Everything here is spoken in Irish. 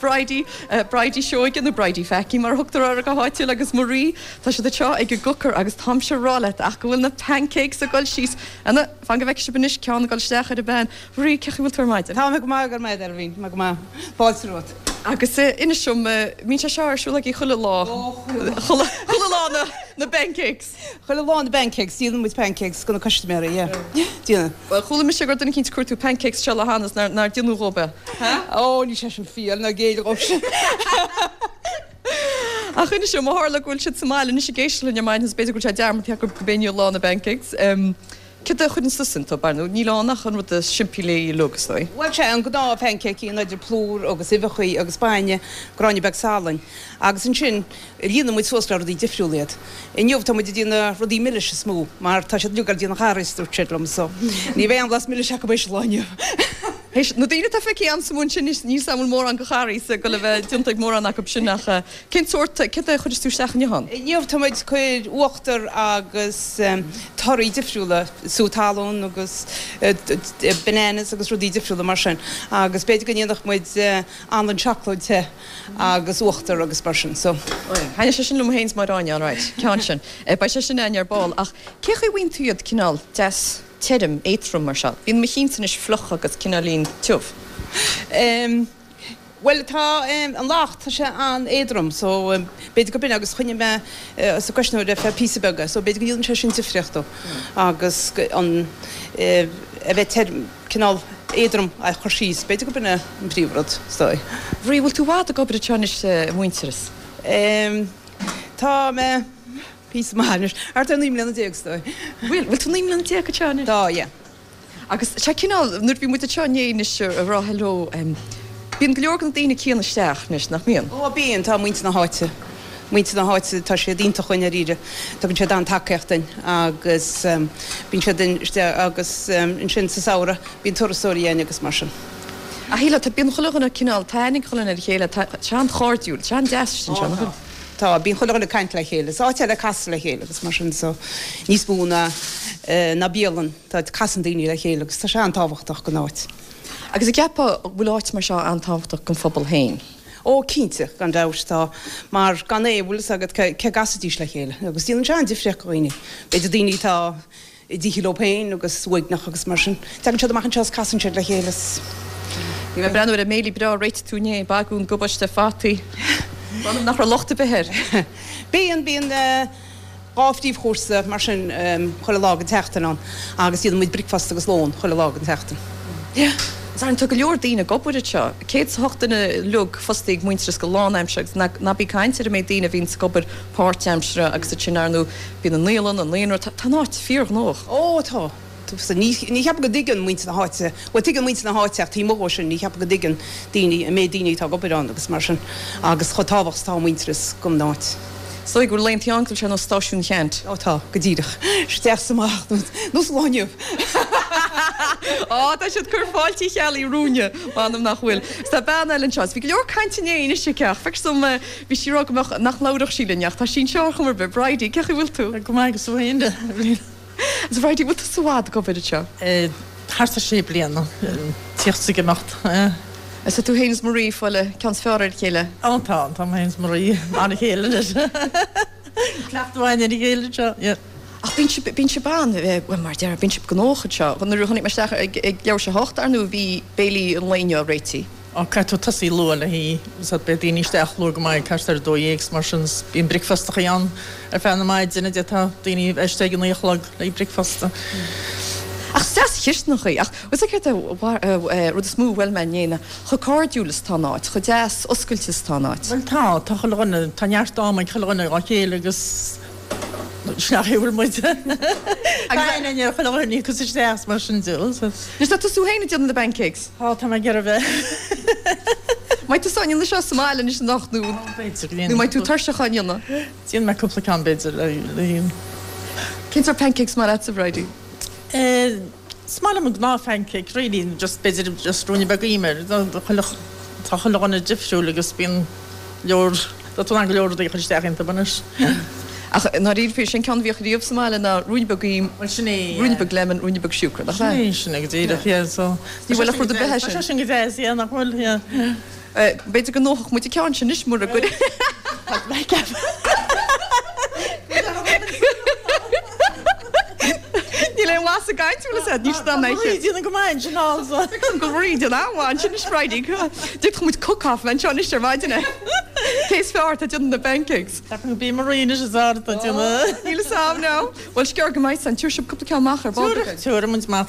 Bridie, Bridie Seoige nó Bridie Pheaicí mar a thugtar uirthi go háitiúil agus Marie, tá siad anseo ag an gcooker agus táimse a rá leat ach go bhfuil na pancakes ag dul síos. Anna, fan go bhfeicfidh sibh anois ceann ag dul isteach ar an bpan. Marie, cén chaoi a bhfuil tú ar maidin? Tá mé go maith, go raibh maith agat, Eibhlín, tá mé go maith. Fáilte romhat. Agus inis dom, mbíonn sé seo ar siúl agaibh chuile lá? Ó, chuile lá. Chuile lá na pancakes. Chuile lá na pancakes, déanann muid pancakes do na custaiméirí, yeah. Déanann. Bhuel, chuala mise go raibh duine eicínt ag cuartú pancakes seo le hAnna is nár déanadh dhóib é. Ó, níl sé sin fíor, ná géill dhóibh sin. Ach inis dom, ó tharla go bhfuil siad sa mbaile anois ag éisteacht linn ar maidin is b'fhéidir go bhfuil sé dearmadta acu gurb é inniu lá na bpancakes. Céard a chuireann tusa iontu, ar ndóigh níl ann ach an rud is simplí uilig, is dóigh. Bhuel, sé an gnáth phancake an idir plúr agus uibheachaí agus bainne, gráinne beag salainn. Agus ansin líonann muid suas le rudaí difriúla iad. Inniu tá muid ag déanamh rudaí milis is mó mar tá siad uilig ag déanamh Harry's dúirt siad liom so ní bheidh aon bhlas milis acu théis an lae inniu. Théis na daoine atá feicthe a'msa ansin níl 's a'm an bhfuil mórán de Harry's ag dul a bheith déanta ag mórán acu sin ach cén sórt, céard a chuireas tú isteach inniu ann? Inniu tá muid ag cur uachtar agus torthaí difriúla, sú talún agus bananas agus rudaí difriúla mar sin agus b'fhéidir go ndéanfadh muid anlann seacláid te agus uachtar agus mar sin so. Thaitneodh sé sin liom féin is Máire Áine, alright, ceann sin. Beidh sé sin againn ar ball ach cé chaoi a bhfaigheann tú iad cineál deas tirim, éadrom mar seo? Bíonn mo chinnse anois fliuch agus cineáilín tiubh. Em, bhuel tá an leacht, tá sé an-éadrom so b'fhéidir go b'in agus choinnigh mé sa gcuisneoir ar feadh píosa beag é so b'fhéidir go ndéanann sé sin difríocht dó agus an a bheith tirim, cineál éadrom a chur síos, b'fhéidir go b'in é an príomhrud, is dóigh. Marie, bhfuil tú i bhfad ag obair anseo anois i Muintearas? Em, tá mé píosa maith anois, thart ar 19 mbliana is dóigh. Bhfuil, bhfuil tú 19 mbliana anseo anois? Tá, yeah. Agus tá cineál, nuair a bhí muid anseo inné anois ag rá hello, em, bíonn go leor de na daoine céanna isteach anois, nach mbíonn? Ó, bíonn, tá muintir na háite, muintir na háite, tá siad iontach i ndáiríre, tugann siad an-tacaíocht duinn agus bíonn siad isteach agus ansin sa samhradh bíonn turasóirí againn agus mar sin. Ach shílfeá, tá, bíonn chuile dhuine cineál, tá aithne ag chuile dhuine ar a chéile, tá sé an-chairdiúil, tá sé an-deas istigh anseo, nach bhfuil? Tá, bíonn chuile dhuine ag caint le chéile, is áit é le casadh le chéile agus mar sin so níos mó ná, ná bialann, tá, casann daoine le chéile agus tá sé an-tábhachtach don áit. Agus an gceapfá go bhfuil áit mar seo an-tábhachtach don phobal féin? Ó, cinnte, gan dabht, tá, mar gan é, bhfuil fhios agat, cé a gcasfaidís le chéile agus déanann sé an-difríocht do dhaoine. B'fhéidir daoine atá i dtithe leo féin agus uaigneach agus mar sin, tagann siad amach anseo is casann siad le chéile is. Bhí mé ag breathnú ar an mbéilí breá a réitigh tú inné, bagún, gabáiste, fataí. M'anam nach raibh locht ar bith air. Bíonn, bíonn. 2 phríomhchúrsa mar sin chuile lá den tseachtain ann agus déanann muid bricfeasta agus lón chuile lá den tseachtain. Is ar ndóigh tá go leor daoine ag obair anseo, 108 duine uilig fostaithe ag Muintearas go lánaimseartha agus ná bí ag caint ar an méid daoine a bhíonns ag obair páirtaimseartha agus ansin ar ndóigh bíonn an naíolann, an naíonra, tá an áit fíorghnóthach. Ó tá. Ní cheapaim go dtuigeann muintir na háite, bhuel tuigeann muintir na háite ach taobh amuigh dhó sin ní cheapaim go dtuigeann daoine an méid daoine atá ag obair ann agus mar sin agus chomh tábhachtach is atá Muintearas don áit. Is dóigh go bhfuil laethanta ann go bhfuil sé ar nós stáisiún Cheannt. Ó tá, go díreach. Isteach is amach, nós an lá inniu. Á, tá siad ag cur fáilte Uí Cheallaigh romhainne, m'anam nach bhfuil. Is tá bean eile anseo, is bhí go leor cainte inné anois aici ach feictear dom, bhí sí ag rá go mbeadh, nach labhródh sí linn ach tá sí anseo ar chuma ar bith. Bridie, cén chaoi a bhfuil tú? Go maith agus tú féin? A Bhridie, bhfuil tusa i bhfad ag obair anseo? Thart ar sé bliana, tíocht is ag imeacht. Is tú féin is Marie ag fáil an ceann is fearr ar a chéile? Ó tá, tá mé féin is Marie mar a chéile anois. Cleachtadh againn ar a chéile anseo, yeah. Ach bíonn sibh, bíonn sibh an, bhuel mar a déarfá, bíonn sibh gnóthach anseo. Nuair a tháinig mé isteach ag leathuair tar éis a hocht, ar ndóigh, bhí béilí an lae inniu á réitigh. Á, caithfidh tú tosaí luath le hí, so beidh daoine isteach luath go maith, thart ar 12 's mar sin, 's bíonn bricfeastachaí ann ar feadh na maidine, d'fhéadfadh daoine a bheith istigh ag a naoi a chlog le bricfeasta. Ach is deas chisteanachaí, ach bhfuil 's agat céard é rud is mó a bhuail mé inné ná chomh cairdiúil is atá an áit, chomh deas oscailte is atá an áit. Bhuel tá, tá chuile dhuine, tá neart ama ag chuile dhuine dhá chéile agus. Sin a bhfuil muid. Tá aithne ar chuile dhuine agus isteach is mar sin de. Anois tá tusa féin ag déanamh na bpancakes. Tá, tá mé ag iarraidh a bheith. Mbeidh tusa á ndéanamh seo sa mbaile anois anocht nó B'fhéidir go ndéanfaidh. nó mbeidh tú tuirseach á ndéanamh? Déanfaidh mé cúpla ceann b'fhéidir le Cén sórt pancakes is maith leatsa, Bridie? Is maith liom an gnáth phancake really, just b'fhéidir just ruainne beag im air. Tá chuile dhuine difriúil agus bíonn leor, tá tú in ann go leor rudaí a chur isteach iontu anois. Ach i ndáiríre, sé an ceann a bhíodh riamh sa mbaile ná ruainne beag im, Bhuel sin é, yeah. ruainne beag lemon, ruainne beag siúcra, nach ea? Sin é, sin é go díreach, yeah, so. Ní bhfuil ach rud ar bith é sin. Tá sé sin go deas, yeah, nach bhfuil, yeah. B'fhéidir go ndófadh muid an ceann sin anois mura gcuir. Níl aon mhaith sa gcaint, bhfuil fhios agat, níl siad ann Tá Marie ag déanamh go maith ansin also. Feicim go bhfuil Marie ag déanamh an-mhaith ansin anois Bridie. D'fhéadfadh muid cook-off a bheith anseo anois ar maidin. Cé is fearr atá ag déanamh na pancakes? Ceapaim go b'í Marie anois is fearr atá ag déanamh. Níl fhios a'm now. Bhuel, is gearr go mbeidh san. Tabharfaidh sibh cúpla ceann amach ar ball beag. Tabharfaidh muid amach.